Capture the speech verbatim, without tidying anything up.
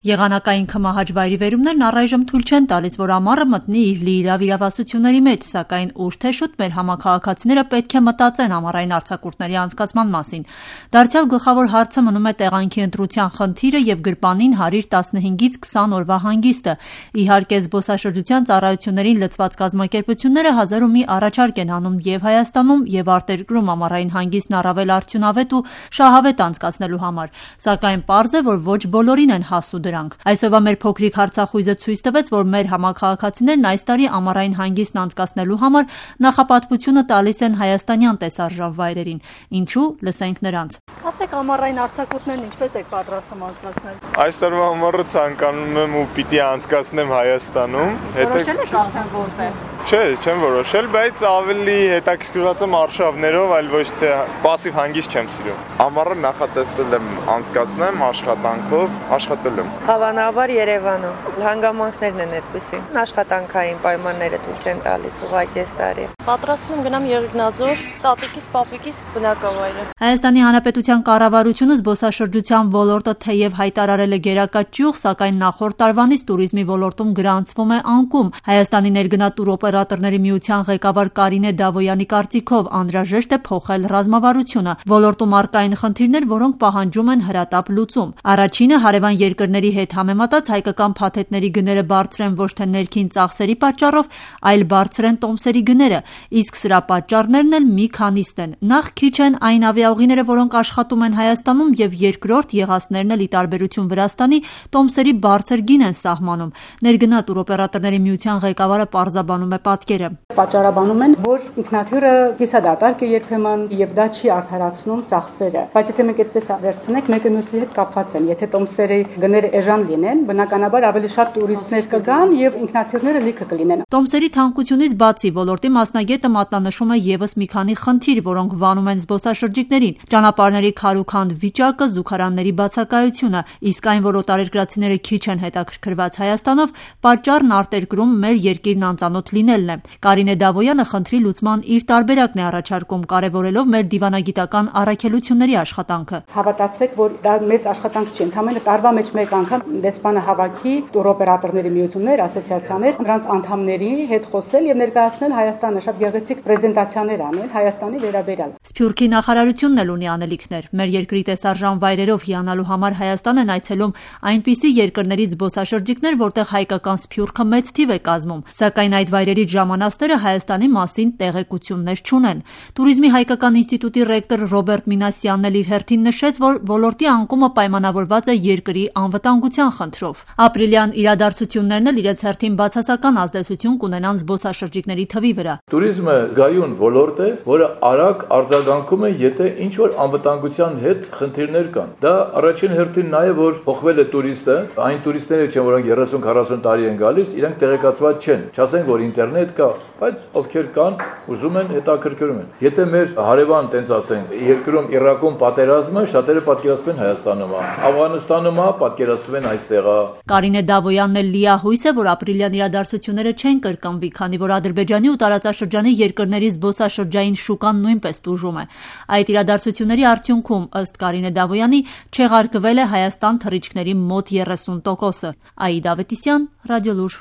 Եղանակային քմահաճ վայրիվերումներն առայժմ թույլ չեն տալիս, որ ամառը մտնի իր լիիրավ իրավասությունների մեջ, սակայն ուշ թե շուտ մեր համաքաղաքացիները պետք է մտածեն ամառային արձակուրդների անցկացման մասին։ Դարձյալ գլխավոր հարցը մնում է տեղանքի ընտրության խնդիրը եւ գրպանին հարիր տասնհինգից քսան օրվա հանգիստը։ Իհարկե, զբոսաշրջության ծառայություններին լծված կազմակերպությունները հազար ու մի առաջարկ են անում եւ Հայաստանում եւ արտերկրում ամառային հանգիստն առավել արդյունավետ ու շահավետ անցկացնելու համար, սակայն պարզ է, որ ոչ բոլորին են հասու դրանք։ Այսօրվա մեր փոքրիկ հարցախույզը ցույց տվեց, որ մեր համաքաղաքացիներն այս տարի ամառային հանգիստն անցկացնելու համար նախապատվությունը տալիս են հայաստանյան տեսարժան վայրերին։ Ինչու՞, լսենք նրանց։ Ասեք, ամառային արձակուրդներն ինչպես եք պատրաստում անցկացնել։ Այս տարվա ամառը ցանկանում եմ ու պիտի անցկացնեմ Հայաստանում։ Որոշել եք արդեն որտեղ։ Չէ, չեմ որոշել, բայց ավելի հետաքրքրված եմ արշավներով, այլ ոչ թե պասիվ հանգիստ չեմ սիրում։ Ամառը նախատեսել եմ անցկացնեմ աշխատանքով, աշխատել եմ։ Հավանաբար Երևանում։ Հանգամանքներն են այդպիսի։ Աշխատանքային պայմանները թույլ չեն տալիս ուղղակի այս տարի։ Պատրաստվում եմ գնամ Եղիգնաձոր, տատիկիս, պապիկիս բնակավայրը։ Հայաստանի Հանրապետության կառավարությունը զբոսաշրջության ոլորտը թեև հայտարարել է գերակա ճյուղ, սակայն նախորդ տարվանից տուրիզմի ոլորտում գրանցվում է անկում։ Հայաստանի ներգնա տուրօպերատորների միության ղեկավար Կարինե Դավոյանի կարծիքով անհրաժեշտ է փոխել ռազմավարությունը։ Ոլորտում առկա են խնդիրներ, որոնք պահանջում են հրատապ լուծում։ Առաջինը հարևան երկրների հետ համեմատած հայկական փաթեթների գները բարձր են ոչ թե ներքին ծախսերի պատճառով, այլ բարձր են տոմսերի գները, իսկ սրա պատճառներն էլ մի քանիստ են։ Նախ քիչ են այն ավիաուղիները, որոնք աշխատում են Հայաստանում, եւ երկրորդ եղածներն էլ ի տարբերություն Վրաստանի տոմսերի բարձր գին են սահմանում։ Ներգնա տուրօպերատորների միության ղեկավարը պարզաբանում է պատկերը։ Պատճառաբանում են, որ ինքնաթիռը կիսադատարկ է երբեմն եւ դա չի արդարացնում ծախսերը։ Բայց եթե մենք այդպես վերցնենք, մեկը մյուսի հետ կապված են։ Եթե տոմսերի գները էժան լինեն, բնականաբար ավելի շատ տուրիստներ կգան եւ ինքնաթիռները լիքը կլինեն։ Տոմսերի թանկությունից բացի ոլորտի մասնագետը մատնանշում է եւս մի քանի խնդիր, որոնք վանում են զբոսաշրջիկներին։ Ճանապարհների քարուքանդ վիճակը, զուգարանների բացակայությունը, իսկ այն, որ օտարերկրացիները քիչ են հետաքրքրված Հայաստանով, պատճառն արտերկրում մեր երկիրն անծանոթ լինելն է։ Կարինե Դավոյանը խնդրի լուծման իր տարբերակն է առաջարկում, կարևորելով մեր դիվանագիտական առաքելությունների աշխատանքը։ Հավատացեք, որ դա մեծ աշխատանք չի, ընդհանրապես տարվա մեջ մեկ անգամ դեսպանը հավաքի տուրօպերատորների միություններ, ասոցիացիաներ, նրանց անդամների հետ խոսել եւ ներկայացնել Հայաստանը, շատ գեղեցիկ պրեզենտացիաներ անել Հայաստանի վերաբերյալ։ Սփյուռքի նախարարությունն էլ ունի անելիքներ։ Մեր երկրի տեսարժան վայրերով հիանալու համար Հայաստան են այցելում այնպիսի երկրներից զբոսաշրջիկներ, որտեղ հայկական սփյուռքը մեծ թիվ է կազմում, սակայն այդ վայրերից ժամանածները Հայաստանի մասին տեղեկություններ չունեն։ Տուրիզմի հայկական ինստիտուտի ռեկտոր Ռոբերտ Մինասյանն էլ իր հերթին նշեց, որ ոլորտի անկումը պայմանավորված է երկրի անվտանգության խնդրով։ Ապրիլյան իրադարձություններն էլ իրենց հերթին բացասական ազդեցություն կունենան զբոսաշրջիկների թվի վրա։ Տուրիզմը զգայուն ոլորտ է, որը արագ արձագանքում է, եթե ինչ որ անվտանգության հետ խնդիրներ կան։ Դա առաջին հերթին նա է, որ փոխվել է տուրիստը, այն տուրիստները չեն, որոնք երեսուն քառասուն տարի են գալիս, իրենք տեղեկացված չեն։ Չասենք, որ ինտերնետ կա, բայց ովքեր կան, ուզում են, հետաքրքրում են։ Եթե մեր հարևան, տենց ասենք, երկրում Իրաքում պատերազմը, շատերը պատկերացնում են Հայաստանում, Աֆղանստանում պատկերացնում են այստեղ։ Կարինե Դավոյանն էլ լիահույս է, որ ապրիլյան իրադարձությունները չեն կրկնվի, քանի որ Ադրբեջանի ու տարածաշրջանի երկրների զբոսաշրջային շուկան նույնպես տուժում է։ Այդ իրադարձությունների արդյունքում, ըստ Կարինե Դավոյանի, չեղարկվել է Հայաստան թռիչքների մոտ երեսուն տոկոսը։ Աիդա Ավետիսյան, Ռադիոլուր։